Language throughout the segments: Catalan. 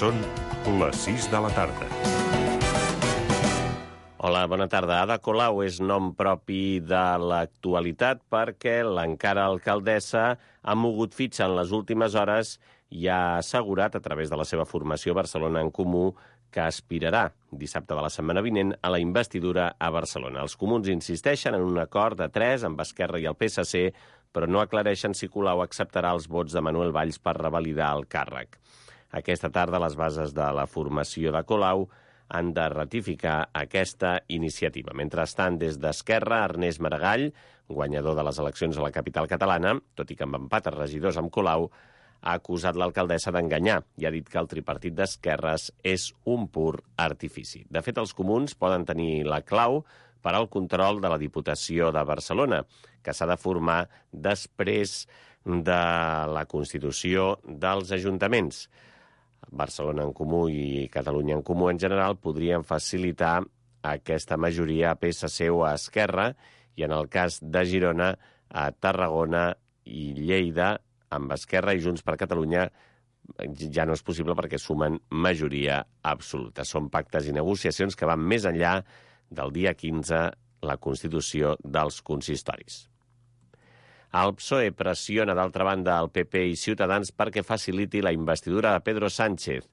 Són les 6 de la tarda. Hola, bona tarda. Ada Colau és nom propi de l'actualitat perquè l'encara alcaldessa ha mogut fitxa en les últimes hores i ha assegurat, a través de la seva formació Barcelona en Comú, que aspirarà dissabte de la setmana vinent a la investidura a Barcelona. Els comuns insisteixen en un acord de 3 amb Esquerra i el PSC, però no aclareixen si Colau acceptarà els vots de Manuel Valls per revalidar el càrrec. Aquesta tarda, les bases de la formació de Colau han de ratificar aquesta iniciativa. Mentrestant, des d'Esquerra, Ernest Maragall, guanyador de les eleccions a la capital catalana, tot i que amb empat a regidors amb Colau, ha acusat l'alcaldessa d'enganyar i ha dit que el tripartit d'esquerres és un pur artifici. De fet, els comuns poden tenir la clau per al control de la Diputació de Barcelona, que s'ha de formar després de la constitució dels ajuntaments. Barcelona en Comú i Catalunya en Comú en general podrien facilitar aquesta majoria a PSC o a Esquerra i, en el cas de Girona, a Tarragona i Lleida, amb Esquerra i Junts per Catalunya ja no és possible perquè sumen majoria absoluta. Són pactes i negociacions que van més enllà del dia 15, la constitució dels consistoris. El PSOE pressiona, d'altra banda, el PP i Ciutadans perquè faciliti la investidura de Pedro Sánchez.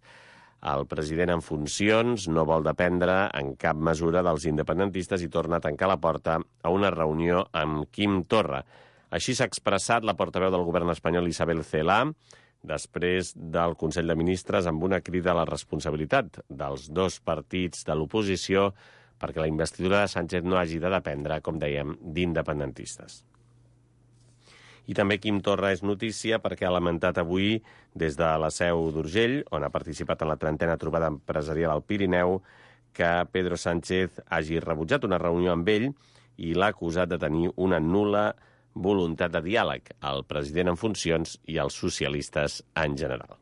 El president en funcions no vol dependre en cap mesura dels independentistes i torna a tancar la porta a una reunió amb Quim Torra. Així s'ha expressat la portaveu del govern espanyol Isabel Celaá després del Consell de Ministres amb una crida a la responsabilitat dels dos partits de l'oposició perquè la investidura de Sánchez no hagi de dependre, com dèiem, d'independentistes. I també Quim Torra és notícia perquè ha lamentat avui des de la seu d'Urgell, on ha participat en la 30a trobada empresarial al Pirineu, que Pedro Sánchez hagi rebutjat una reunió amb ell i l'ha acusat de tenir una nul·la voluntat de diàleg, el president en funcions i els socialistes en general.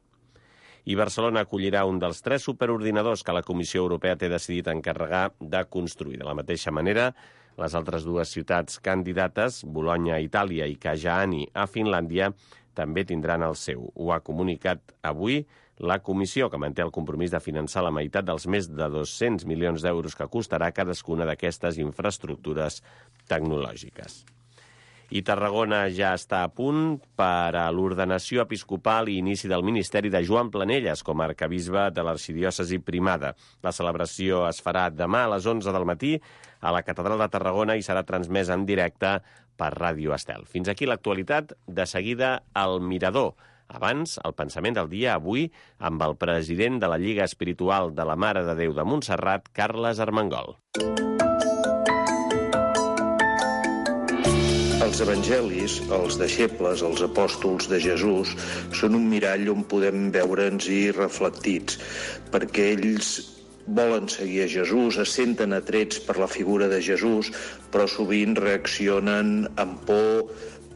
I Barcelona acollirà un dels 3 superordinadors que la Comissió Europea té decidit encarregar de construir. De la mateixa manera, les altres 2 ciutats candidates, Bologna a Itàlia i Kajaani a Finlàndia, també tindran el seu. Ho ha comunicat avui la Comissió, que manté el compromís de finançar la meitat dels més de 200 milions d'euros que costarà cadascuna d'aquestes infraestructures tecnològiques. I Tarragona ja està a punt per a l'ordenació episcopal i inici del ministeri de Joan Planelles com a arquebisbe de l'arxidiòcesi primada. La celebració es farà demà a les 11 del matí a la Catedral de Tarragona i serà transmesa en directe per Ràdio Estel. Fins aquí l'actualitat, de seguida el Mirador. Abans, el pensament del dia avui amb el president de la Lliga Espiritual de la Mare de Déu de Montserrat, Carles Armengol. Els evangelis, els deixebles, els apòstols de Jesús, són un mirall on podem veure'ns-hi reflectits, perquè ells volen seguir a Jesús, es senten atrets per la figura de Jesús, però sovint reaccionen amb por,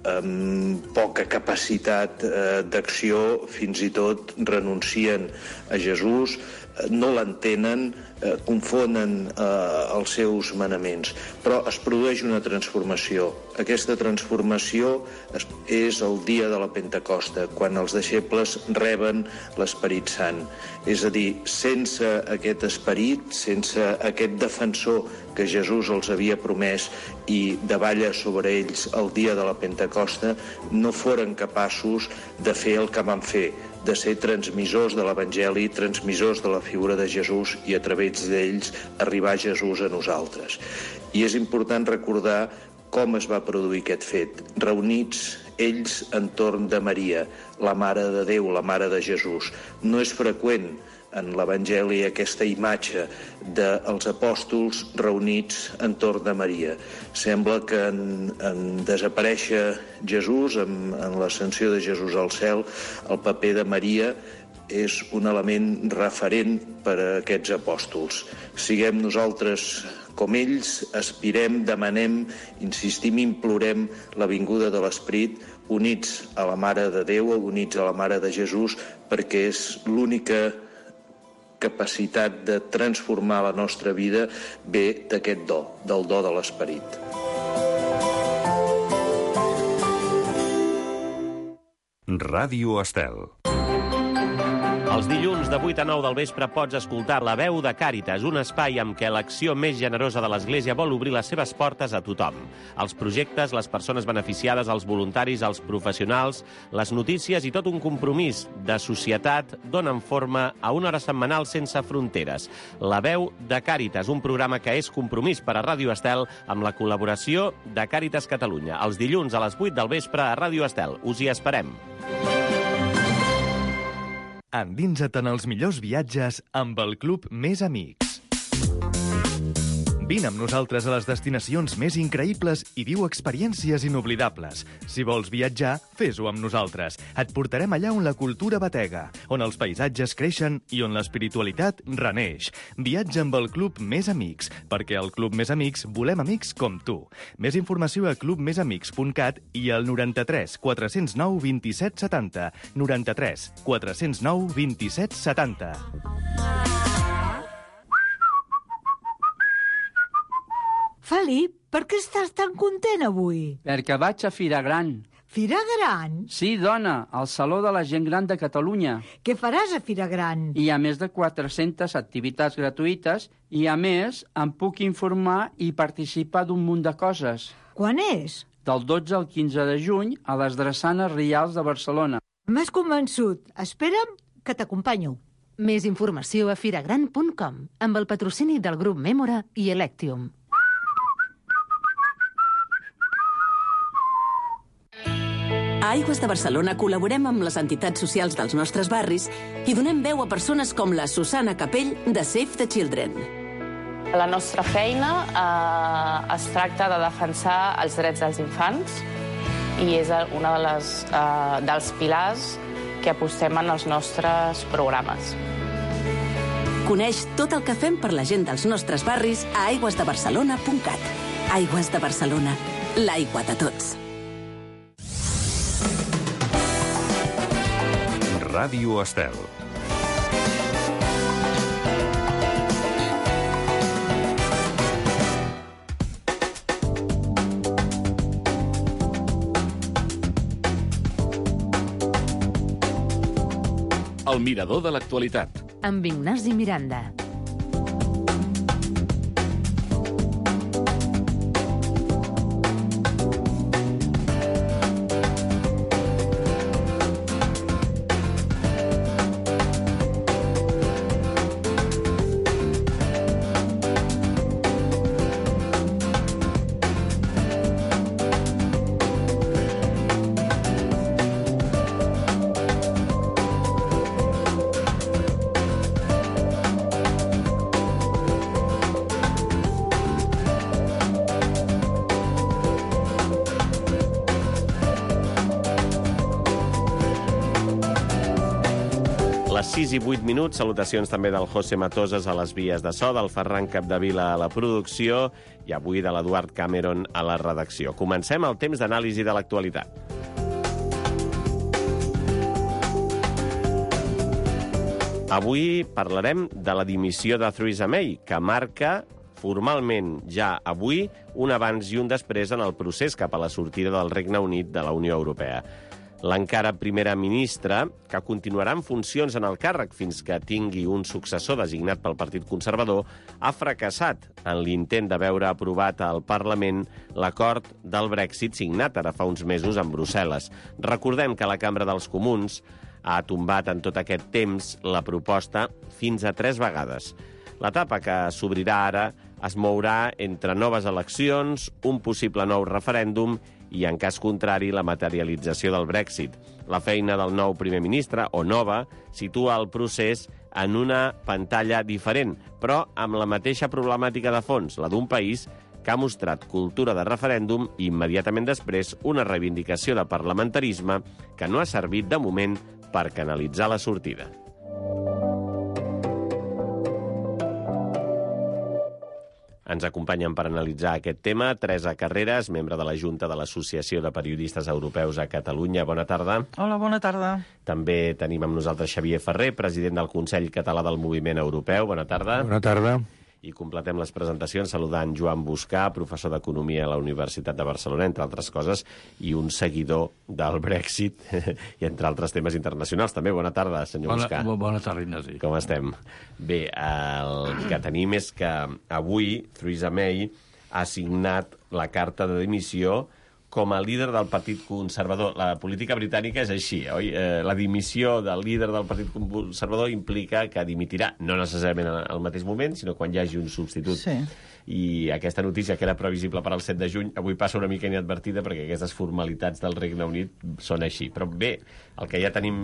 amb poca capacitat d'acció, fins i tot renuncien a Jesús, no l'entenen, confonen els seus manaments. Però es produeix una transformació. Aquesta transformació és el dia de la Pentecosta, quan els deixebles reben l'Esperit Sant. És a dir, sense aquest esperit, sense aquest defensor que Jesús els havia promès i davalla sobre ells el dia de la Pentecosta, no foren capaços de fer el que van fer, de ser transmissors de l'Evangeli, transmissors de la figura de Jesús i a través d'ells arribar Jesús a nosaltres. I és important recordar com es va produir aquest fet. Reunits ells entorn de Maria, la Mare de Déu, la Mare de Jesús. No és freqüent en l'Evangeli aquesta imatge dels apòstols reunits entorn de Maria. Sembla que en desaparèixer Jesús, en l'ascensió de Jesús al cel, el paper de Maria és un element referent per a aquests apòstols. Siguem nosaltres com ells, aspirem, demanem, insistim, implorem la vinguda de l'Esperit, units a la Mare de Déu, units a la Mare de Jesús, perquè és l'única capacitat de transformar la nostra vida ve d'aquest do, del do de l'Esperit. Ràdio Estel. Els dilluns de 8 a 9 del vespre pots escoltar La Veu de Càritas, un espai amb què l'acció més generosa de l'Església vol obrir les seves portes a tothom. Els projectes, les persones beneficiades, els voluntaris, els professionals, les notícies i tot un compromís de societat donen forma a una hora setmanal sense fronteres. La Veu de Càritas, un programa que és compromís per a Ràdio Estel amb la col·laboració de Càritas Catalunya. Els dilluns a les 8 del vespre a Ràdio Estel. Us hi esperem. Endinsa't en els millors viatges amb el Club Més Amics. Vine amb nosaltres a les destinacions més increïbles i viu experiències inoblidables. Si vols viatjar, fes-ho amb nosaltres. Et portarem allà on la cultura batega, on els paisatges creixen i on l'espiritualitat reneix. Viatja amb el Club Més Amics, perquè al Club Més Amics volem amics com tu. Més informació a clubmesamics.cat i al 93 409 27 70. 93 409 27 70. Felip, per què estàs tan content avui? Perquè vaig a Fira Gran. Fira Gran? Sí, dona, al Saló de la Gent Gran de Catalunya. Què faràs a Fira Gran? Hi ha més de 400 activitats gratuïtes i, a més, em puc informar i participar d'un munt de coses. Quan és? Del 12 al 15 de juny a les Drassanes Rials de Barcelona. M'has convençut. Espera'm que t'acompanyo. Més informació a firagran.com amb el patrocini del grup Mémora i Electium. A Aigües de Barcelona col·laborem amb les entitats socials dels nostres barris i donem veu a persones com la Susana Capell de Save the Children. La nostra feina es tracta de defensar els drets dels infants i és un dels pilars que apostem en els nostres programes. Coneix tot el que fem per la gent dels nostres barris a aigüesdebarcelona.cat. Aigües de Barcelona, l'aigua de tots. Ràdio Estel. El mirador de l'actualitat. Amb Ignasi Miranda. Les 6 i 8 minuts, salutacions també del José Matosas a les vies de so, del Ferran Capdevila a la producció i avui de l'Eduard Cameron a la redacció. Comencem el temps d'anàlisi de l'actualitat. Avui parlarem de la dimissió de Theresa May, que marca formalment ja avui un abans i un després en el procés cap a la sortida del Regne Unit de la Unió Europea. L'encara primera ministra, que continuarà en funcions en el càrrec fins que tingui un successor designat pel Partit Conservador, ha fracassat en l'intent de veure aprovat al Parlament l'acord del Brexit signat ara fa uns mesos en Brussel·les. Recordem que la Cambra dels Comuns ha tombat en tot aquest temps la proposta fins a 3 vegades. L'etapa que s'obrirà ara es mourà entre noves eleccions, un possible nou referèndum i, en cas contrari, la materialització del Brexit. La feina del nou primer ministre, o nova, situa el procés en una pantalla diferent, però amb la mateixa problemàtica de fons, la d'un país que ha mostrat cultura de referèndum i, immediatament després, una reivindicació de parlamentarisme que no ha servit, de moment, per canalitzar la sortida. Ens acompanyen per analitzar aquest tema Teresa Carreras, membre de la Junta de l'Associació de Periodistes Europeus a Catalunya. Bona tarda. Hola, bona tarda. També tenim amb nosaltres Xavier Ferrer, president del Consell Català del Moviment Europeu. Bona tarda. Bona tarda. I completem les presentacions saludant Joan Buscà, professor d'Economia a la Universitat de Barcelona, entre altres coses, i un seguidor del Brexit, i entre altres temes internacionals. També bona tarda, senyor Buscà. Bona tarda, Ignasi. Com estem? Bé, el que tenim és que avui Theresa May ha signat la carta de dimissió com a líder del Partit Conservador. La política britànica és així, oi? La dimissió del líder del Partit Conservador implica que dimitirà, no necessàriament al mateix moment, sinó quan hi hagi un substitut. Sí. I aquesta notícia, que era previsible per al 7 de juny, avui passa una mica inadvertida perquè aquestes formalitats del Regne Unit són així. Però bé, el que ja tenim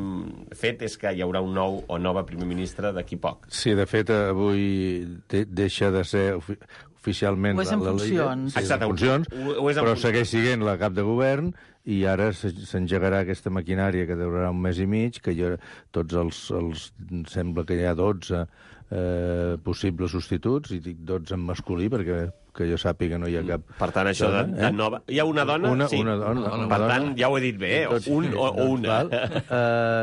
fet és que hi haurà un nou o nova primer ministre d'aquí poc. Sí, de fet, avui deixa de ser oficialment o és en funcions. Sí, en funcions, però segueix sent la cap de govern i ara s'engegarà aquesta maquinària que durarà un mes i mig, que tots els sembla que hi ha 12 possibles substituts, i dic 12 en masculí perquè que jo sàpiga no hi ha cap... Per tant, això de nova... Hi ha una dona? Sí. Una dona. Per tant, ja ho he dit bé, un o una.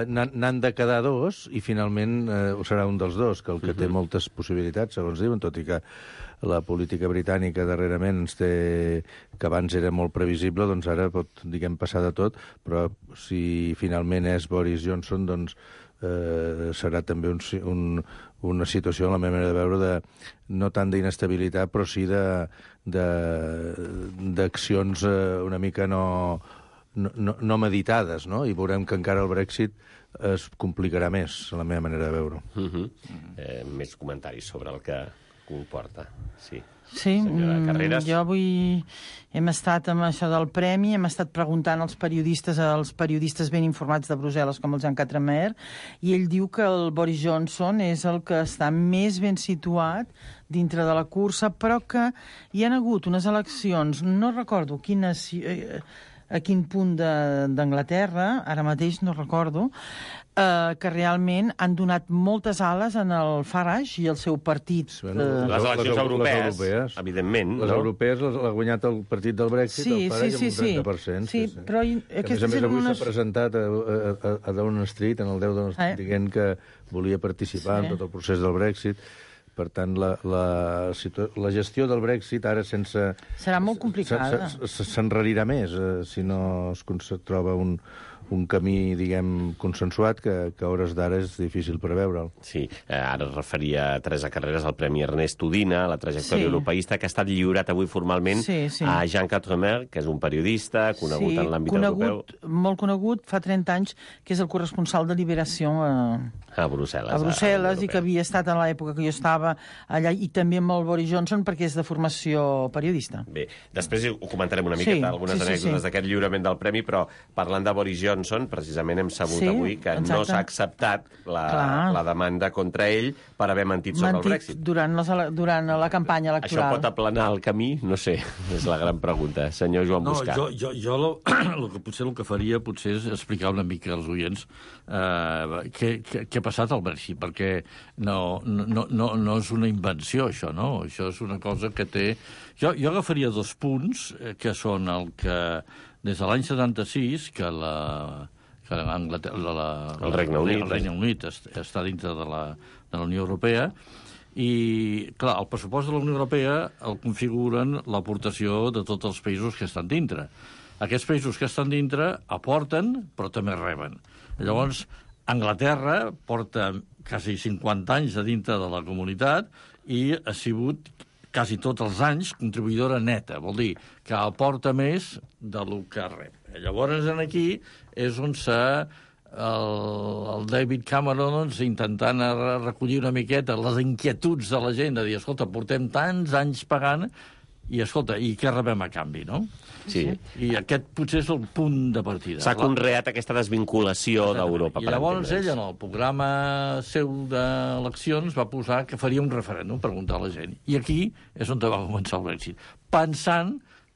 N'han de quedar dos i finalment serà un dels dos, que el que té moltes possibilitats, segons diuen, tot i que la política britànica darrerament ens té, que abans era molt previsible, doncs ara pot, diguem, passar de tot, però si finalment és Boris Johnson, doncs serà també una situació, en la meva manera de veure, no tant d'inestabilitat, però sí d'accions una mica no meditades, no? I veurem que encara el Brexit es complicarà més, en la meva manera de veure-ho. Més comentaris sobre el que comporta, sí. Sí, jo avui hem estat amb això del premi, hem estat preguntant als periodistes ben informats de Brussel·les, com el Jean Quatremer, i ell diu que el Boris Johnson és el que està més ben situat dintre de la cursa, però que hi ha hagut unes eleccions, no recordo a quin punt d'Anglaterra, ara mateix no recordo, que realment han donat moltes ales en el Farage i el seu partit. Les eleccions europees, evidentment. Les europees l'ha guanyat el partit del Brexit, el Farage, amb un 30%. Sí, però a més avui s'ha presentat a Downing Street, en el 10 Downing Street, dient que volia participar en tot el procés del Brexit. Per tant, la gestió del Brexit ara sense... Serà molt complicada. S'enrarirà més si no es troba un camí, diguem, consensuat, que a hores d'ara és difícil preveure'l. Sí, ara es referia a Teresa Carreras, al Premi Ernest Udina, la trajectòria europeista, que ha estat lliurat avui formalment a Jean Quatremer, que és un periodista conegut en l'àmbit europeu. Molt conegut, fa 30 anys, que és el corresponsal de Liberació a Brussel·les. A Brussel·les, i que havia estat en l'època que jo estava allà, i també amb el Boris Johnson, perquè és de formació periodista. Bé, després ho comentarem una miqueta, algunes anècdotes d'aquest lliurament del premi, però parlant de Boris Johnson, precisament hem sabut avui que no s'ha acceptat la demanda contra ell per haver mentit sobre el Brexit. Durant la campanya electoral. Això pot aplanar el camí? No sé, és la gran pregunta. Senyor Joan Buscà. Jo el que faria potser és explicar una mica als oients què ha passat al Brexit, perquè no és una invenció, això, no? Això és una cosa que té... Jo agafaria 2 punts, que són el que des de l'any 76, que el Regne Unit està dintre de la Unió Europea, i, clar, el pressupost de la Unió Europea el configuren l'aportació de tots els països que estan dintre. Aquests països que estan dintre aporten, però també reben. Llavors, Anglaterra porta quasi 50 anys a dintre de la comunitat i ha sigut quasi tots els anys contribuïdora neta, vol dir que aporta més del que rep. Llavors, aquí és on el David Cameron intentant recollir una miqueta les inquietuds de la gent, de dir, escolta, portem tants anys pagant i, escolta, i què rebem a canvi, no? Sí. I aquest potser és el punt de partida. S'ha conreat aquesta desvinculació d'Europa. I llavors ell, en el programa seu d'eleccions, va posar que faria un referèndum, preguntar a la gent. I aquí és on va començar el Brexit. Pensant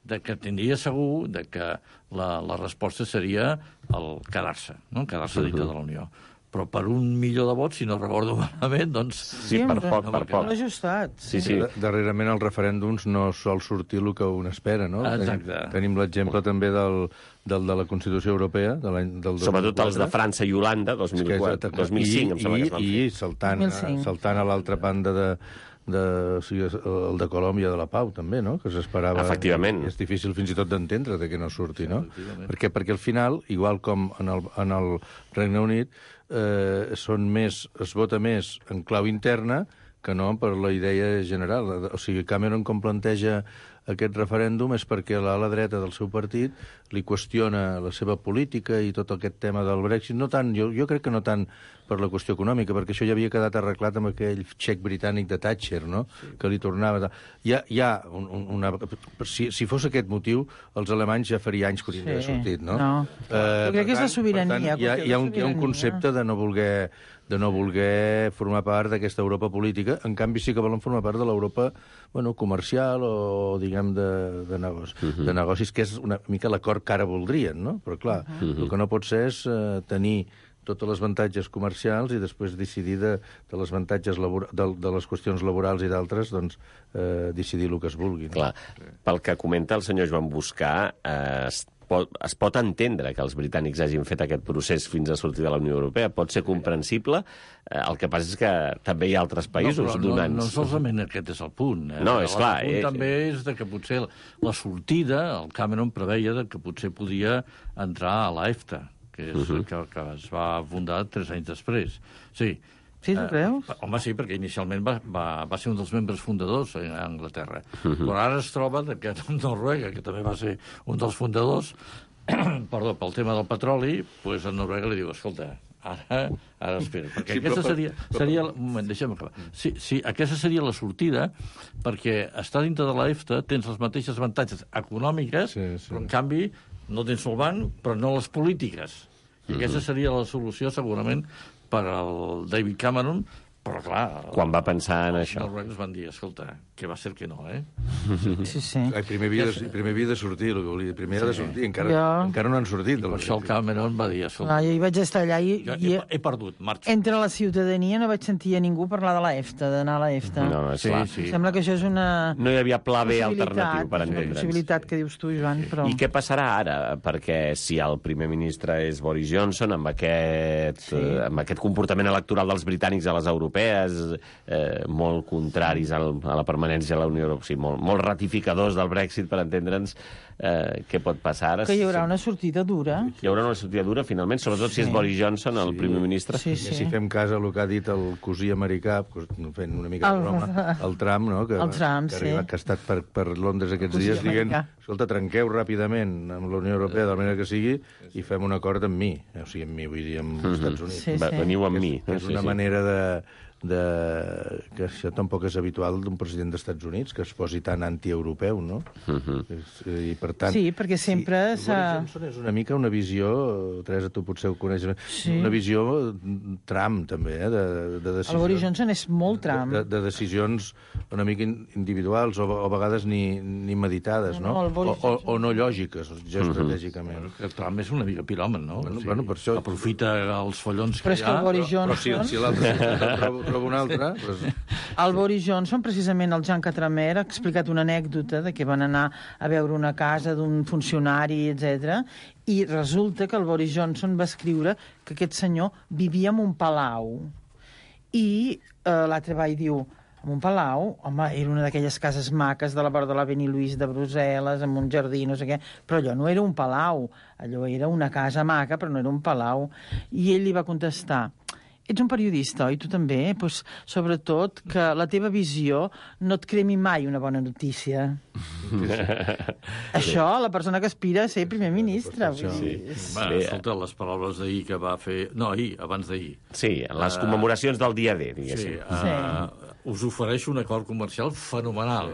que tindria segur que la resposta seria el quedar-se, no? Quedar-se dintre de la Unió. Però per 1 milió de vots, si no recordo malament, doncs... Sí, per poc. Ajustat. Sí. Darrerament els referèndums no sol sortir el que un espera, no? Exacte. Tenim l'exemple també del de la Constitució Europea, del 2004. Sobretot els de França i Holanda, 2004, 2005, em sembla que es van fer. I saltant a l'altra banda o sigui, el de Colòmbia de la Pau, també, no? Que s'esperava... Efectivament. És difícil fins i tot d'entendre de que no surti, no? Perquè al final, igual com en el Regne Unit, es vota més en clau interna que no per la idea general. O sigui, Cameron, com planteja aquest referèndum, és perquè l'ala dreta del seu partit li qüestiona la seva política i tot aquest tema del Brexit. No tant, jo crec que no tant per la qüestió econòmica, perquè això ja havia quedat arreglat amb aquell xec britànic de Thatcher, no? Sí. Que li tornava... Si fos aquest motiu, els alemanys ja faria anys que haurien d'haver sortit, no? Jo crec que és la sobirania. Per tant, hi ha un concepte de no voler formar part d'aquesta Europa política. En canvi, sí que volen formar part de l'Europa comercial o, diguem, de negocis, que és una mica l'acord que ara voldrien, no? Però, clar, el que no pot ser és tenir totes les avantatges comercials i després decidir de les avantatges de les qüestions laborals i d'altres, doncs, decidir el que es vulgui. No? Clar, pel que comenta el senyor Joan Boscà, es pot entendre que els britànics hagin fet aquest procés fins a sortir de la Unió Europea. Pot ser comprensible. El que passa és que també hi ha altres països donants. No solament aquest és el punt. No, és clar. El punt també és que potser la sortida, el Cameron preveia que potser podia entrar a l'EFTA, que es va fundar 3 anys després. Sí. Sí, tu creus? Home, sí, perquè inicialment va ser un dels membres fundadors a Anglaterra. Però ara es troba que Noruega, que també va ser un dels fundadors, perdó, pel tema del petroli, doncs a Noruega li diu, escolta, ara espera, perquè sí, aquesta seria... Un moment, deixa'm acabar. Sí, aquesta seria la sortida, perquè estar dintre de l'EFTA tens les mateixes avantatges econòmiques, però en canvi no tens el banc, però no les polítiques. I aquesta seria la solució, segurament, per al David Cameron, però clar... Quan va pensar en això? Els noruecs van dir, escolta, que va ser que no, eh? Sí. Primer havia de sortir, el que volia dir. Primer ha de sortir, encara no han sortit. Per això el Cameron va dir, escolta... Jo hi vaig estar allà i... He perdut, marxa. Entre la ciutadania no vaig sentir a ningú parlar de l'EFTA, d'anar a l'EFTA. No, és clar. Sembla que això és una... No hi havia pla B alternatiu per entendre'ns. Una possibilitat que dius tu, Joan, però... I què passarà ara? Perquè si el primer ministre és Boris Johnson, amb aquest comportament electoral dels britànics a les europees, molt contraris a la permanència a la Unió Europea, molt ratificadors del Brexit, per entendre'ns, què pot passar ara? Que hi haurà una sortida dura. Hi haurà una sortida dura, finalment, sobretot si és Boris Johnson, el primer ministre. Sí. Si fem cas al que ha dit el cosí americà, fent una mica de broma, el Trump, no? Que ha estat per Londres aquests dies, dient, escolta, trenqueu ràpidament amb la Unió Europea, de la manera que sigui, i fem un acord amb mi. O sigui, amb mi, vull dir, amb els Estats Units. Veniu amb mi. És una manera que això tampoc és habitual d'un president dels Estats Units, que es posi tan antieuropeu, no? I per tant... Sí, perquè sempre Boris Johnson és una mica una visió, Teresa, tu potser ho coneixes, una visió Trump, també, de decisions... El Boris Johnson és molt Trump. De decisions una mica individuals o a vegades ni meditades, no? O no lògiques, geoestratègicament. El Trump és una mica piròman, no? Bueno, per això... Aprofita els follons que hi ha... Però és que el Boris Johnson... Però si l'altre... trobo un altre... El Boris Johnson, precisament el Jean Quatremer, ha explicat una anècdota de que van anar a veure una casa d'un funcionari, etc. I resulta que el Boris Johnson va escriure que aquest senyor vivia en un palau. I l'altre va i diu, en un palau, home, era una d'aquelles cases maques de la vora de l'Avenue Louise de Brussel·les, amb un jardí, no sé què, però allò no era un palau, allò era una casa maca, però no era un palau. I ell li va contestar, ets un periodista, oi? Tu també? Pues, sobretot que la teva visió no et cremi mai una bona notícia. Això, la persona que aspira a ser primer ministre. Escolta, les paraules d'ahir que va fer... No, abans d'ahir. Sí, les commemoracions del dia D, diguéssim. Us ofereixo un acord comercial fenomenal,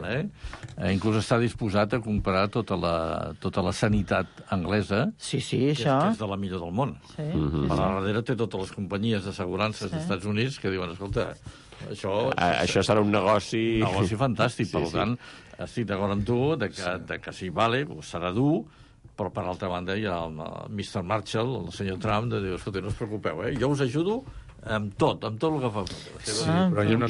inclús està disposat a comprar tota la sanitat anglesa, que és de la millor del món. A la darrere té totes les companyies d'assegurances dels Estats Units que diuen, escolta, això serà un negoci... Un negoci fantàstic, per tant, estic d'acord amb tu que sí, vale, serà dur, però per altra banda hi ha el Mr. Marshall, el senyor Trump, de dir, escolta, no us preocupeu, jo us ajudo amb tot el que fa. Sí, però jo no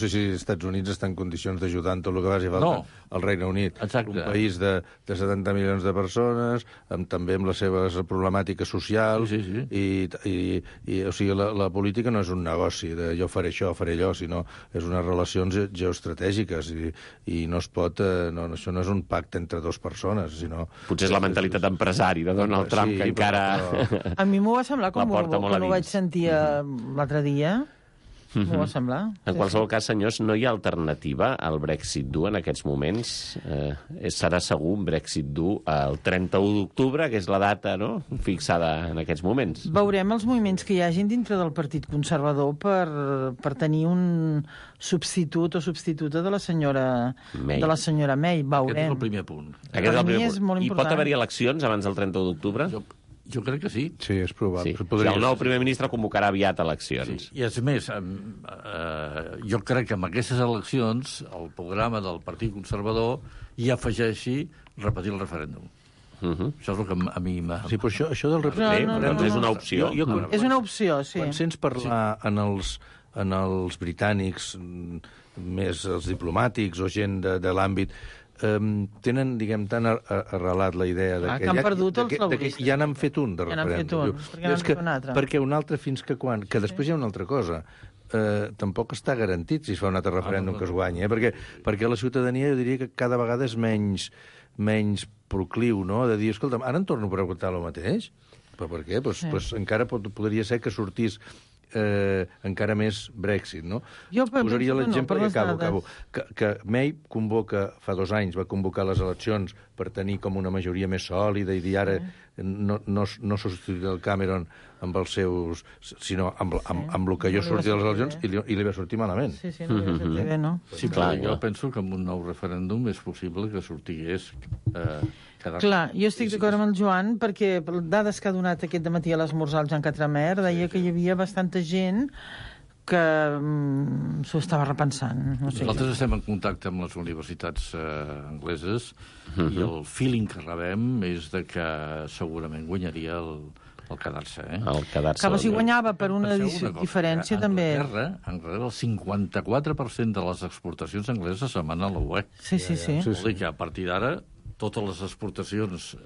sé si els Estats Units està en condicions d'ajudar en tot el que faci falta al Regne Unit. Exacte. Un país de 70 milions de persones, també amb les seves problemàtiques socials, o sigui, la política no és un negoci de jo faré això, faré allò, sinó és unes relacions geoestratègiques i no es pot... això no és un pacte entre dues persones, sinó... Potser és la mentalitat empresari de Donald Trump, que encara... A mi m'ho va semblar com quan ho vaig sentir l'altre dia. M'ho va semblar. En qualsevol cas, senyors, no hi ha alternativa al Brexit dur en aquests moments. Serà segur un Brexit dur el 31 d'octubre, que és la data fixada en aquests moments. Veurem els moviments que hi hagin dintre del Partit Conservador per tenir un substitut o substituta de la senyora May. Veurem. Aquest és el primer punt. Aquest és el primer punt. I pot haver-hi eleccions abans del 31 d'octubre? Jo crec que sí. Sí, és probable. Sí. El nou primer ministre convocarà aviat eleccions. Sí. I és més, jo crec que amb aquestes eleccions el programa del Partit Conservador hi afegeixi repetir el referèndum. Això és el que a mi m'ha... Sí, però això del referèndum és una opció. És una opció, sí. Quan sents parlar en els britànics, més els diplomàtics o gent de l'àmbit, tenen, diguem, tan arrelat la idea que han perdut els laboristes. Ja n'han fet un de referèndum. Perquè un altre fins que quan... Que després hi ha una altra cosa. Tampoc està garantit si es fa un altre referèndum que es guanyi, perquè la ciutadania, jo diria que cada vegada és menys procliu, no?, de dir, escolta'm, ara em torno a preguntar el mateix? Però per què? Pues encara podria ser que sortís encara més Brexit, no? Posaria l'exemple, i acabo, que May fa 2 anys va convocar les eleccions per tenir com una majoria més sòlida i dir ara no substituir el Cameron amb els seus... sinó amb el que jo sortia de les eleccions i li va sortir malament. Sí, no li va sortir bé, no? Sí, clar, jo penso que amb un nou referèndum és possible que sortigués... Clar, jo estic d'acord amb el Joan, perquè dades que ha donat aquest dematí a l'esmorzar el Jean Quatremer deia que hi havia bastanta gent que s'ho estava repensant. Nosaltres estem en contacte amb les universitats angleses i el feeling que rebem és de que segurament guanyaria el quedar-se. Que si guanyava per una diferència, també... Anglaterra, el 54% de les exportacions angleses se'n van a la UE. Sí. Vol dir que a partir d'ara totes les exportacions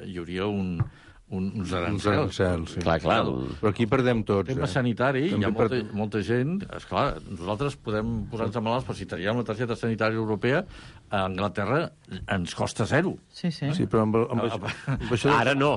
hi hauria uns arancels. Sí. Clar. Però aquí perdem tots. El tema sanitari, hi ha molta gent... Esclar, nosaltres podem posar-nos malalts, però si teníem la targeta sanitària europea, a Anglaterra ens costa 0. Sí, però amb això... Ara no.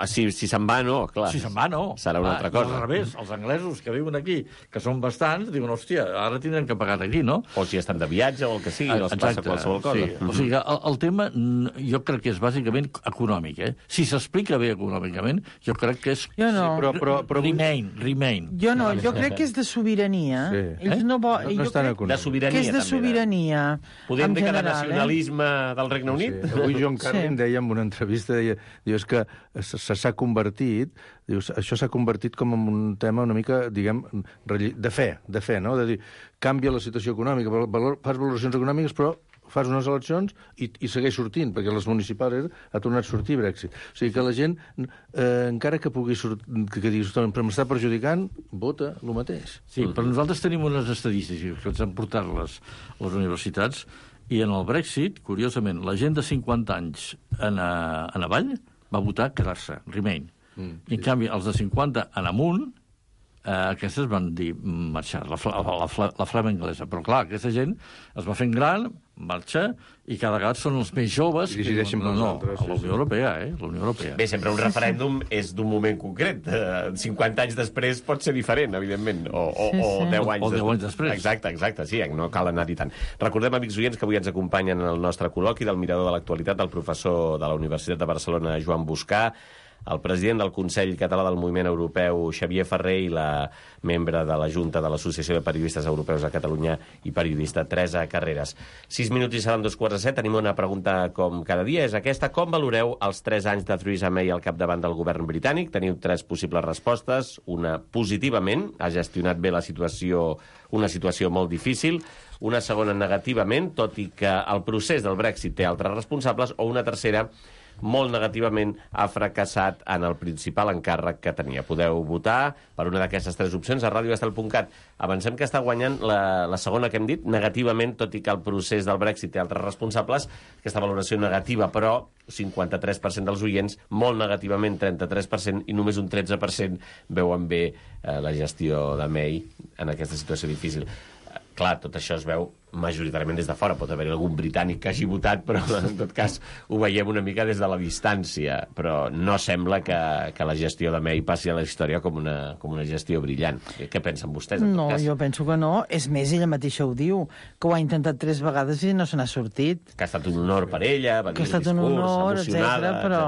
Si se'n va, no, clar. Si se'n va, no. Serà una altra cosa. Al revés, els anglesos que viuen aquí, que són bastants, diuen, hòstia, ara tindrem que pagar aquí, no? O si estan de viatge o el que sigui, els passa qualsevol cosa. Sí. O sigui, el tema jo crec que és bàsicament econòmic, Si s'explica bé econòmicament, jo crec que és... Jo no. Però Remain. Jo no, jo crec que és de sobirania. Ells no estan de sobirania, que és de sobirania. Podem dir que de nacionalisme del Regne Unit? Avui John Carlin deia en una entrevista, és que s'ha convertit, això s'ha convertit com en un tema una mica, diguem, de fe, no? De dir, canvia la situació econòmica, fas valoracions econòmiques, però fas unes eleccions i segueix sortint, perquè les municipals ha tornat a sortir Brexit. O sigui que la gent, encara que pugui sortir, que diguis, però m'està perjudicant, vota el mateix. Sí, però nosaltres tenim unes estadístiques que ens han portat les universitats, i en el Brexit, curiosament, la gent de 50 anys en avall va votar quedar-se, Remain. I en canvi, els de 50 en amunt, aquestes van dir marxar, la flama anglesa. Però clar, aquesta gent es va fent gran, marxa, i cada vegada són els més joves i decideixen per nosaltres. A la Unió Europea, la Unió Europea. Bé, sempre un referèndum és d'un moment concret. 50 anys després pot ser diferent, evidentment, o 10 anys després. Exacte, sí, no cal anar-hi tant. Recordem, amics oients, que avui ens acompanyen en el nostre col·loqui del Mirador de l'Actualitat el professor de la Universitat de Barcelona, Joan Boscà, el president del Consell Català del Moviment Europeu, Xavier Ferrer, i la membre de la Junta de l'Associació de Periodistes Europeus a Catalunya i periodista Teresa Carreras. 6 minuts i seran 2:45. Tenim una pregunta com cada dia, és aquesta. Com valoreu els 3 anys de Theresa May al capdavant del govern britànic? Teniu 3 possibles respostes. Una, positivament, ha gestionat bé la situació, una situació molt difícil. Una segona, negativament, tot i que el procés del Brexit té altres responsables. O una tercera, molt negativament, ha fracassat en el principal encàrrec que tenia. Podeu votar per una d'aquestes 3 opcions a radioestel.cat. Avancem que està guanyant la segona que hem dit, negativament, tot i que el procés del Brexit té altres responsables, aquesta valoració negativa, però 53% dels oients, molt negativament, 33%, i només un 13% veuen bé la gestió de May en aquesta situació difícil. Clar, tot això es veu majoritàriament des de fora. Pot haver-hi algun britànic que hagi votat, però en tot cas ho veiem una mica des de la distància. Però no sembla que la gestió de May passi a la història com una gestió brillant. Què pensen vostès, en tot cas? No, jo penso que no. És més, ella mateixa ho diu, que ho ha intentat 3 vegades i no se n'ha sortit. Que ha estat un honor per ella, va dir el discurs, que ha estat un honor, etcètera, però...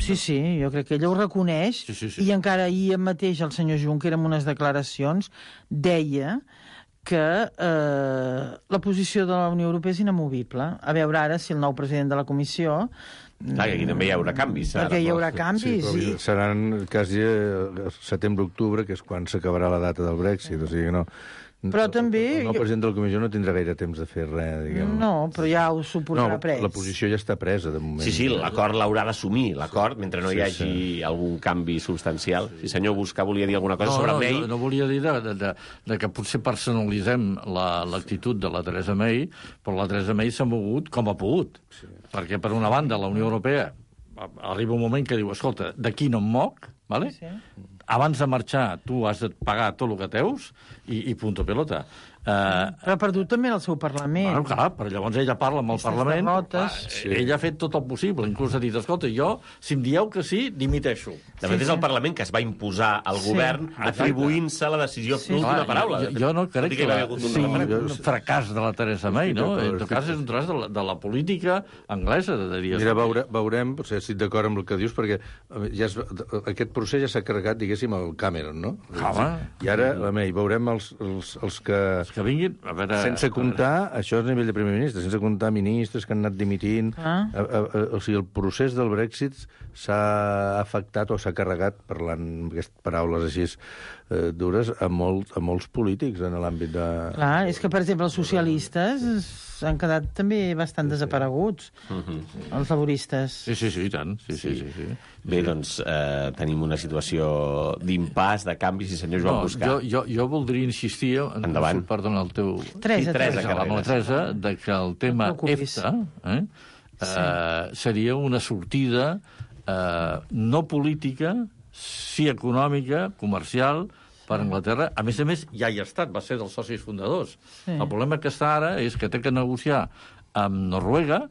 Sí, jo crec que ella ho reconeix. Sí. I encara ahir mateix el senyor Juncker, en unes declaracions, deia que la posició de la Unió Europea és inamovible. A veure ara si el nou president de la Comissió... Clar, que aquí també hi haurà canvis. Perquè hi haurà canvis. Sí, seran quasi setembre-octubre, que és quan s'acabarà la data del Brexit, o sigui que no... Però també... El nou president de la Comissió no tindrà gaire temps de fer res, diguem. No, però ja ho suposarà pres. La posició ja està presa, de moment. Sí, l'acord l'haurà d'assumir, l'acord, mentre no hi hagi algun canvi substancial. Sí, senyor Busca, volia dir alguna cosa sobre May? No volia dir de que potser personalitzem l'actitud de la Theresa May, però la Theresa May s'ha mogut com ha pogut. Perquè, per una banda, la Unió Europea arriba un moment que diu, escolta, d'aquí no em moc, ¿vale? Abans de marxar tu has de pagar tot el que teus i punto pelota. Però ha perdut també el seu Parlament. Bueno, clar, però llavors ella parla amb el Parlament. Ella ha fet tot el possible, inclús ha dit, escolta, jo, si em dieu que sí, dimiteixo. De fet, és el Parlament que es va imposar al govern atribuint-se la decisió d'última paraula. Jo no crec que sigui un fracàs de la Theresa May, no? En tot cas, és un tros de la política anglesa, de dir... Mira, veurem, potser estic d'acord amb el que dius, perquè aquest procés ja s'ha carregat, diguéssim, al Cameron, no? I ara, la May, veurem els que vinguin, a veure... Sense comptar, això és a nivell de primer ministre, sense comptar ministres que han anat dimitint. O sigui, el procés del Brexit s'ha afectat o s'ha carregat, parlant amb aquestes paraules així dures, a molts polítics en l'àmbit de... Clar, és que, per exemple, els socialistes han quedat també bastant desapareguts, els laboristes. Sí, i tant. Sí. Bé, doncs tenim una situació d'impàs, de canvis, i senyor Joan Buscar. Jo voldria insistir, endavant. Perdona, el teu... Teresa, amb la Teresa, que el tema EFTA seria una sortida no política, sí econòmica, comercial, per Anglaterra. A més, ja hi ha estat, va ser dels socis fundadors. El problema que està ara és que té que negociar amb Noruega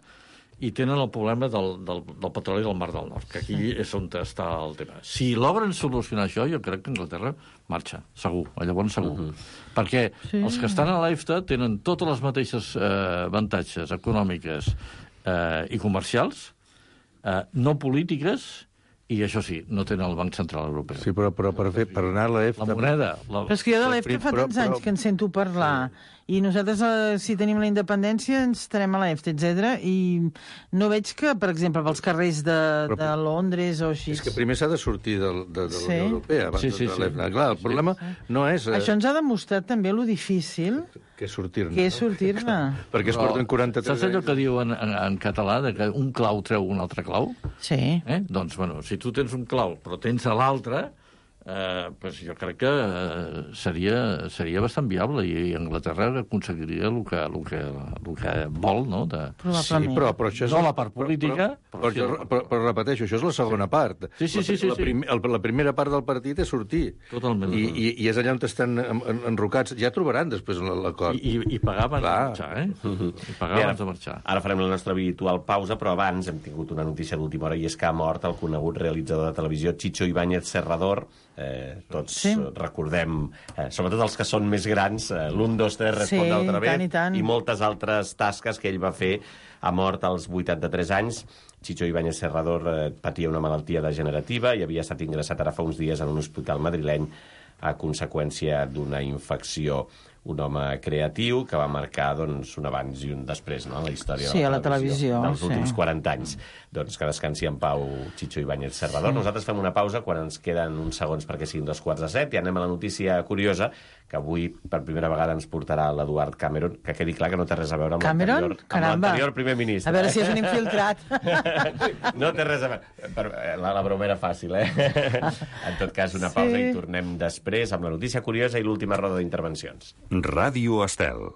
i tenen el problema del petroli del Mar del Nord, que aquí és on està el tema. Si logren solucionar això, jo crec que Anglaterra marxa, segur, llavors segur. Perquè els que estan a l'EFTA tenen totes les mateixes avantatges econòmiques i comercials, no polítiques, i això sí, no tenen el Banc Central Europeu. Sí, però per anar a l'EFTA... La moneda... Però és que jo de l'EFTA fa tants anys que en sento parlar, i nosaltres, si tenim la independència, ens estarem a l'EFTA, etc. I no veig que, per exemple, pels carrers de Londres o així... És que primer s'ha de sortir de la Unió Europea abans de l'EFTA. Clar, el problema no és... Això ens ha demostrat també lo difícil que és sortir-ne. Perquè es porten 43 anys. Saps allò que diu en català, que un clau treu un altre clau? Sí. Doncs, bueno, si tu tens un clau però tens l'altre, pues jo crec que seria bastant viable i Anglaterra aconseguiria el que vol, no? Sí, però això és... No la part política... Però repeteixo, això és la segona part. Sí. La primera part del partit és sortir. Totalment. I és allà on estan enrocats. Ja trobaran després l'acord. I pagar abans de marxar, I pagar abans de marxar. Ara farem la nostra habitual pausa, però abans hem tingut una notícia d'última hora i és que ha mort el conegut realitzador de televisió Chicho Ibáñez Serrador. Tots recordem, sobretot els que són més grans, l'1, 2, 3, Responde otra vez, i moltes altres tasques que ell va fer. Ha mort als 83 anys. Chicho Ibáñez Serrador patia una malaltia degenerativa i havia estat ingressat ara fa uns dies en un hospital madrileny a conseqüència d'una infecció. un home creatiu que va marcar doncs, un abans i un després, no?, en la història a la televisió dels últims 40 anys. Doncs que descansi en pau Chicho Ibáñez Serrador. Nosaltres fem una pausa quan ens queden uns segons perquè siguin 2:45 i anem a la notícia curiosa que avui per primera vegada ens portarà l'Eduard Cameron, que quedi clar que no té res a veure amb l'anterior primer ministre. A veure si és un infiltrat. No té res a veure. La broma era fàcil, En tot cas, una pausa i tornem després amb la notícia curiosa i l'última roda d'intervencions. Ràdio Estel.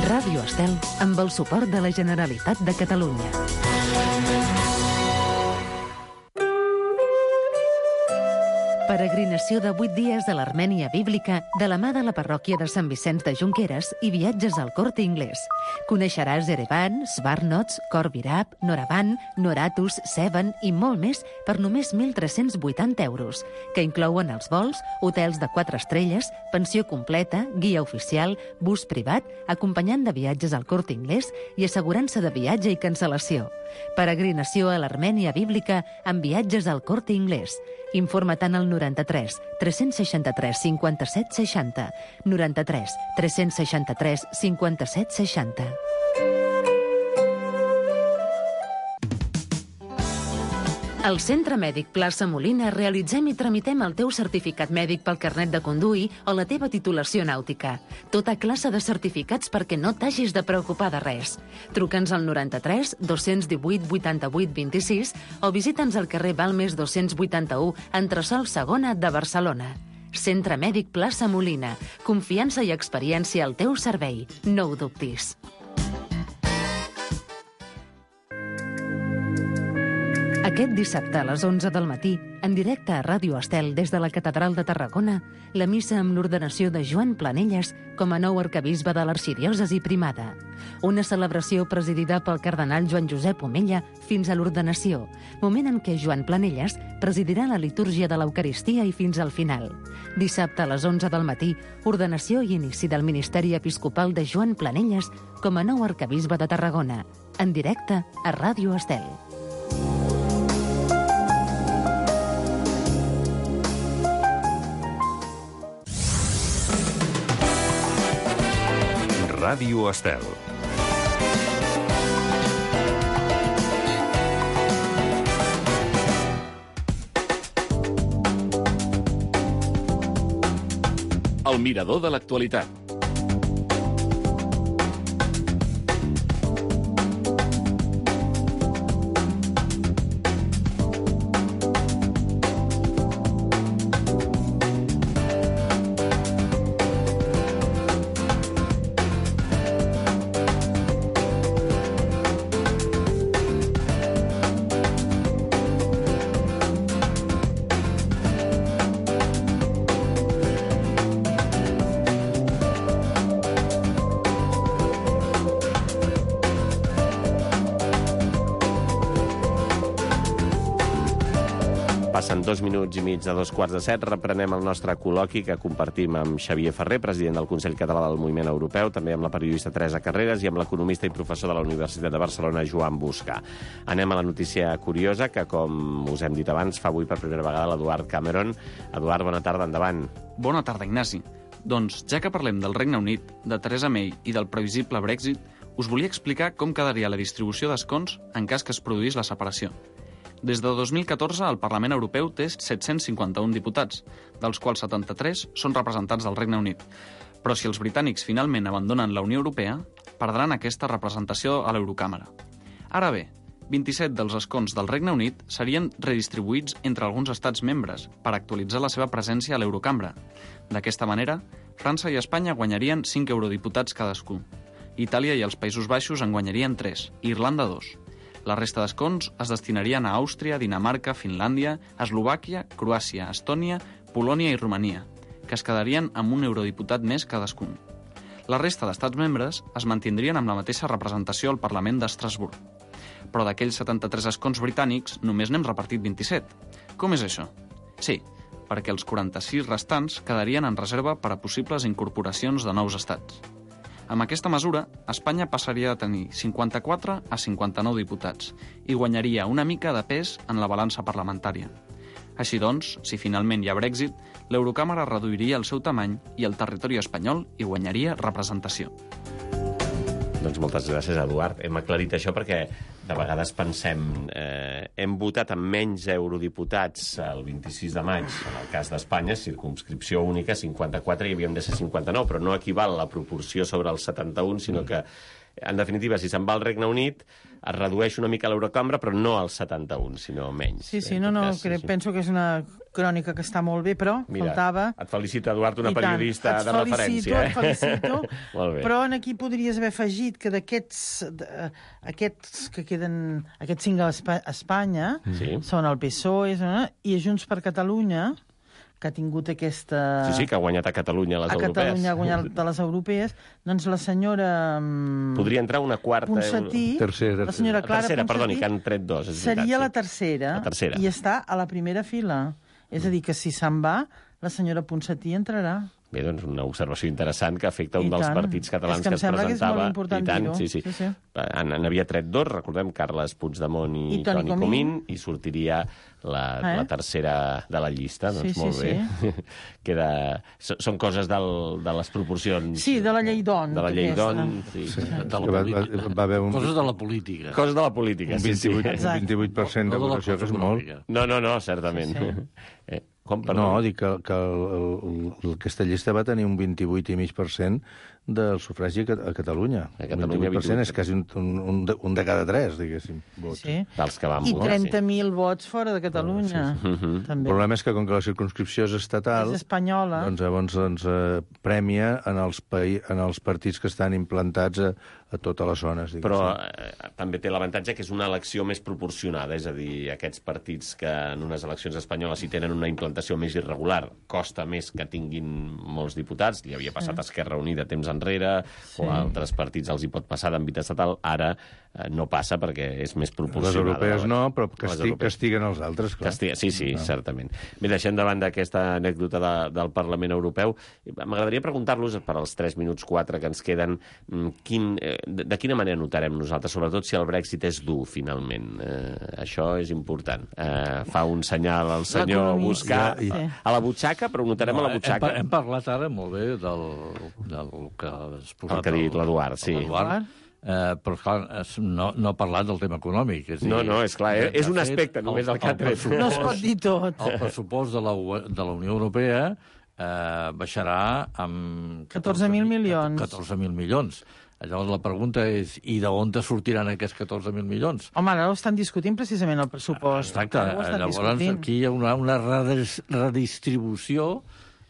Ràdio Estel, amb el suport de la Generalitat de Catalunya. Peregrinació de 8 dies a l'Armènia bíblica de la mà de la parròquia de Sant Vicenç de Junqueras i viatges al Corte Inglés. Coneixeràs Erevan, Svarnots, Khor Virab, Noravan, Noratus, Sevan i molt més per només 1.380 euros, que inclouen els vols, hotels de 4 estrelles, pensió completa, guia oficial, bus privat, acompanyant de viatges al Corte Inglés i assegurança de viatge i cancel·lació. Peregrinació a l'Armènia bíblica amb viatges al Corte Inglés. Informa-te'n al 93 363 57 60, 93 363 57 60. Al Centre Mèdic Plaça Molina realitzem i tramitem el teu certificat mèdic pel carnet de conduir o la teva titulació nàutica. Tota classe de certificats perquè no t'hagis de preocupar de res. Truca'ns al 93 218 88 26 o visita'ns al carrer Balmes 281, entresòl Segona de Barcelona. Centre Mèdic Plaça Molina. Confiança i experiència al teu servei. No ho dubtis. Aquest dissabte a les 11 del matí, en directe a Ràdio Estel des de la Catedral de Tarragona, la missa amb l'ordenació de Joan Planelles com a nou arquebisbe de l'arxidiòcesi primada. Una celebració presidida pel cardenal Joan Josep Omella fins a l'ordenació, moment en què Joan Planelles presidirà la litúrgia de l'Eucaristia i fins al final. Dissabte a les 11 del matí, ordenació i inici del ministeri episcopal de Joan Planelles com a nou arquebisbe de Tarragona, en directe a Ràdio Estel. Ràdio Estel. El mirador de l'actualitat. Passen 2 minuts i mig de 2:15. Reprenem el nostre col·loqui que compartim amb Xavier Ferrer, president del Consell Català del Moviment Europeu, també amb la periodista Teresa Carreras i amb l'economista i professor de la Universitat de Barcelona, Joan Busca. Anem a la notícia curiosa que, com us hem dit abans, fa avui per primera vegada l'Eduard Cameron. Eduard, bona tarda, endavant. Bona tarda, Ignasi. Doncs, ja que parlem del Regne Unit, de Theresa May i del previsible Brexit, us volia explicar com quedaria la distribució d'escons en cas que es produís la separació. Des de 2014, el Parlament Europeu té 751 diputats, dels quals 73 són representats del Regne Unit. Però si els britànics finalment abandonen la Unió Europea, perdran aquesta representació a l'Eurocàmera. Ara bé, 27 dels escons del Regne Unit serien redistribuïts entre alguns estats membres per actualitzar la seva presència a l'Eurocambra. D'aquesta manera, França i Espanya guanyarien 5 eurodiputats cadascú. Itàlia i els Països Baixos en guanyarien 3, i Irlanda 2. La resta d'escons es destinarien a Àustria, Dinamarca, Finlàndia, Eslovàquia, Croàcia, Estònia, Polònia i Romania, que es quedarien amb un eurodiputat més cadascun. La resta d'estats membres es mantindrien amb la mateixa representació al Parlament d'Estrasburg. Però d'aquells 73 escons britànics només n'hem repartit 27. Com és això? Sí, perquè els 46 restants quedarien en reserva per a possibles incorporacions de nous estats. Amb aquesta mesura, Espanya passaria de tenir 54 a 59 diputats i guanyaria una mica de pes en la balança parlamentària. Així doncs, si finalment hi ha Brexit, l'Eurocàmera reduiria el seu tamany i el territori espanyol hi guanyaria representació. Doncs moltes gràcies, Eduard. Hem aclarit això perquè de vegades pensem hem votat amb menys eurodiputats el 26 de maig, en el cas d'Espanya, circumscripció única, 54, i havíem de ser 59, però no equival la proporció sobre el 71, sinó que, en definitiva, si se'n va al Regne Unit, es redueix una mica l'Eurocambra, però no al 71, sinó menys. Sí, penso que és una crònica que està molt bé, però faltava... Et felicito, Eduard, una periodista de referència. Et felicito, molt bé. Però aquí podries haver afegit que d'aquests que queden, aquests 5 a Espanya, són el PSOE i Junts per Catalunya, que ha tingut aquesta... Sí, que ha guanyat a Catalunya les europees. A Catalunya ha guanyat a les europees. Doncs la senyora... Podria entrar una quarta... Ponsatí, la senyora Clara Ponsatí... Perdoni, que han tret 2. Seria la tercera. I està a la primera fila. És a dir, que si se'n va, la senyora Ponsatí entrarà. Bé, doncs una observació interessant que afecta un dels partits catalans que es presentava. És que em sembla que és molt important dir-ho. Sí. N'havia tret 2, recordem, Carles Puigdemont i Toni Comín, i sortiria la tercera de la llista. Doncs molt bé. Són coses de les proporcions... Sí, de la llei d'on. De la llei d'on, sí. Coses de la política. Coses de la política, sí. Un 28% de votació, que és molt. No, certament. No, dic que aquesta llista va tenir un 28,5% del sufragi a Catalunya. A Catalunya 28% és quasi un de cada 3, diguéssim, vots. Sí. Dels que van votar. I 30.000 vots fora de Catalunya. El problema és que, com que la circumscripció és estatal... És espanyola. Doncs llavors prèmia en els partits que estan implantats a totes les zones. Però també té l'avantatge que és una elecció més proporcionada, és a dir, aquests partits que en unes eleccions espanyoles hi tenen una implantació més irregular, costa més que tinguin molts diputats, li havia passat a Esquerra Unida temps enrere, o a altres partits els hi pot passar d'àmbit estatal, ara no passa perquè és més proporcionada. Les europees no, però castiguen els altres, clar. Sí, certament. Bé, deixem davant d'aquesta anècdota del Parlament Europeu. M'agradaria preguntar-los, per als 3 minuts 4 que ens queden, de quina manera notarem nosaltres, sobretot si el Brexit és dur, finalment. Això és important. Fa un senyal al senyor buscar a la butxaca, però ho notarem a la butxaca. Hem parlat ara molt bé del que has posat... El que ha dit l'Eduard, sí. Però, clar, no ha parlat del tema econòmic. No, és clar, és un aspecte, només el que ha tret. No es pot dir tot. El pressupost de la Unió Europea baixarà amb... 14.000 milions. 14.000 milions. Llavors la pregunta és, i d'on te sortiran aquests 14.000 milions? Home, ara ho estan discutint precisament el pressupost. Exacte. Llavors aquí hi ha una redistribució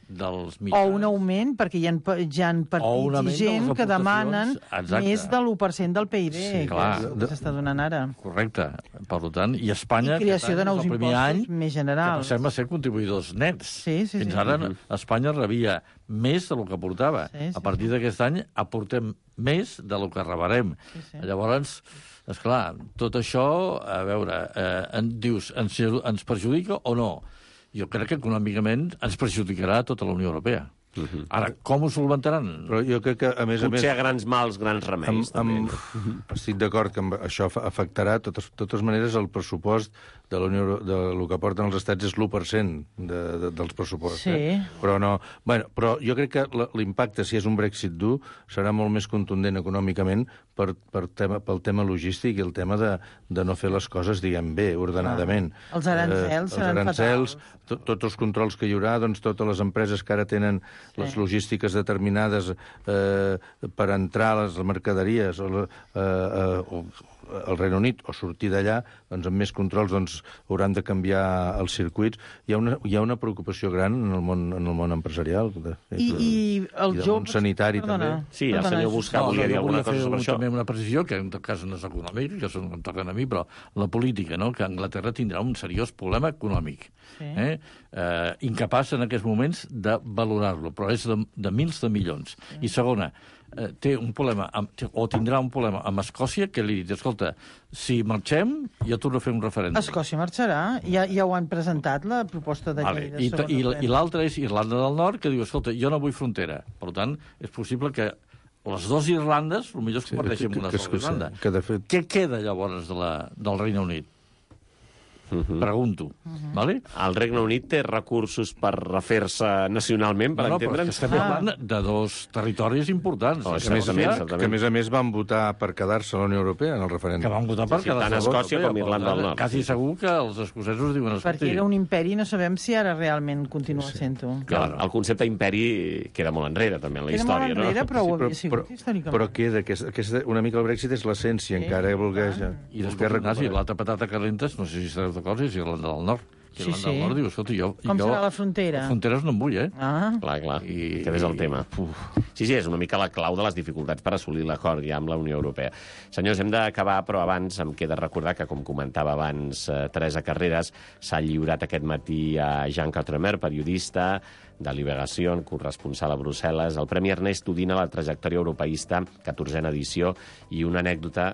dels mitjans. O un augment, perquè hi ha partits i gent que demanen més de l'1% del PIB, que s'està donant ara. Correcte. Per tant, i Espanya... I creació de nous impostos més generals. Que sembla ser contribuïdors nets. Fins ara Espanya rebia més del que aportava. A partir d'aquest any aportem més del que rebrem. Llavors, esclar, tot això, a veure, dius, ens perjudica o no? Jo crec que econòmicament ens perjudicarà tota la Unió Europea. Ara, com ho solventaran? Però jo crec que, a més... Potser a grans mals, grans remeis. Estic d'acord que això afectarà, de totes maneres, el pressupost de lo que aporten els estats és l'1% dels pressupostos. Sí. Però no... Però jo crec que l'impacte, si és un Brexit dur, serà molt més contundent econòmicament pel tema logístic i el tema de no fer les coses, diguem, bé, ordenadament. Els aranzels seran fatals. Tots els controls que hi haurà, doncs totes les empreses que ara tenen les logístiques determinades per entrar a les mercaderies o al Regne Unit o sortir d'allà, doncs amb més controls hauran de canviar els circuits. Hi ha una preocupació gran en el món empresarial. I el món sanitari també. Sí, el senyor Buscar volia dir alguna cosa sobre això. També una precisió, que en tot cas no és econòmic, que em toquen a mi, però la política, no? Que Anglaterra tindrà un seriós problema econòmic. Incapaç en aquests moments de valorar-lo, però és de mils de milions. I segona, té un problema, o tindrà un problema amb Escòcia, que li dit, escolta, si marxem, jo torno a fer un referèndum. Escòcia marxarà, ja ho han presentat, la proposta de llei de segon referèndum. I l'altra és Irlanda del Nord, que diu, escolta, jo no vull frontera. Per tant, és possible que les dues Irlandes, potser es converteixen en una sola Irlanda. Què queda llavors del Regne Unit? Pregunto. Vale? El Regne Unit té recursos per refer-se nacionalment, per entendre'ns? Estem parlant de dos territoris importants. Que, a més, van votar per quedar-se a la Unió Europea en el referèndum. Que van votar per quedar-se tant Escòcia com Irlanda del Nord. Quasi segur que els escocesos diuen... Perquè era un imperi, no sabem si ara realment continua sent-ho. El concepte imperi queda molt enrere, també, en la història, no? Queda molt enrere, però ho havia sigut històricament. Però queda, una mica el Brexit és l'essència, encara volgués... I després, Ignasi, l'altra patata calenta, no sé si estareu d'acord, és Irlanda del Nord. Irlanda del Nord diu, escolta, com serà la frontera? Les fronteres no em vull, Clar, aquest és el tema. Sí, és una mica la clau de les dificultats per assolir l'acord ja amb la Unió Europea. Senyors, hem d'acabar, però abans em queda recordar que, com comentava abans Teresa Carreras, s'ha lliurat aquest matí a Jean Quatremer, periodista de Liberació, corresponsal a Brussel·les, el Premi Ernest Udina, la trajectòria europeista, 14a edició, i una anècdota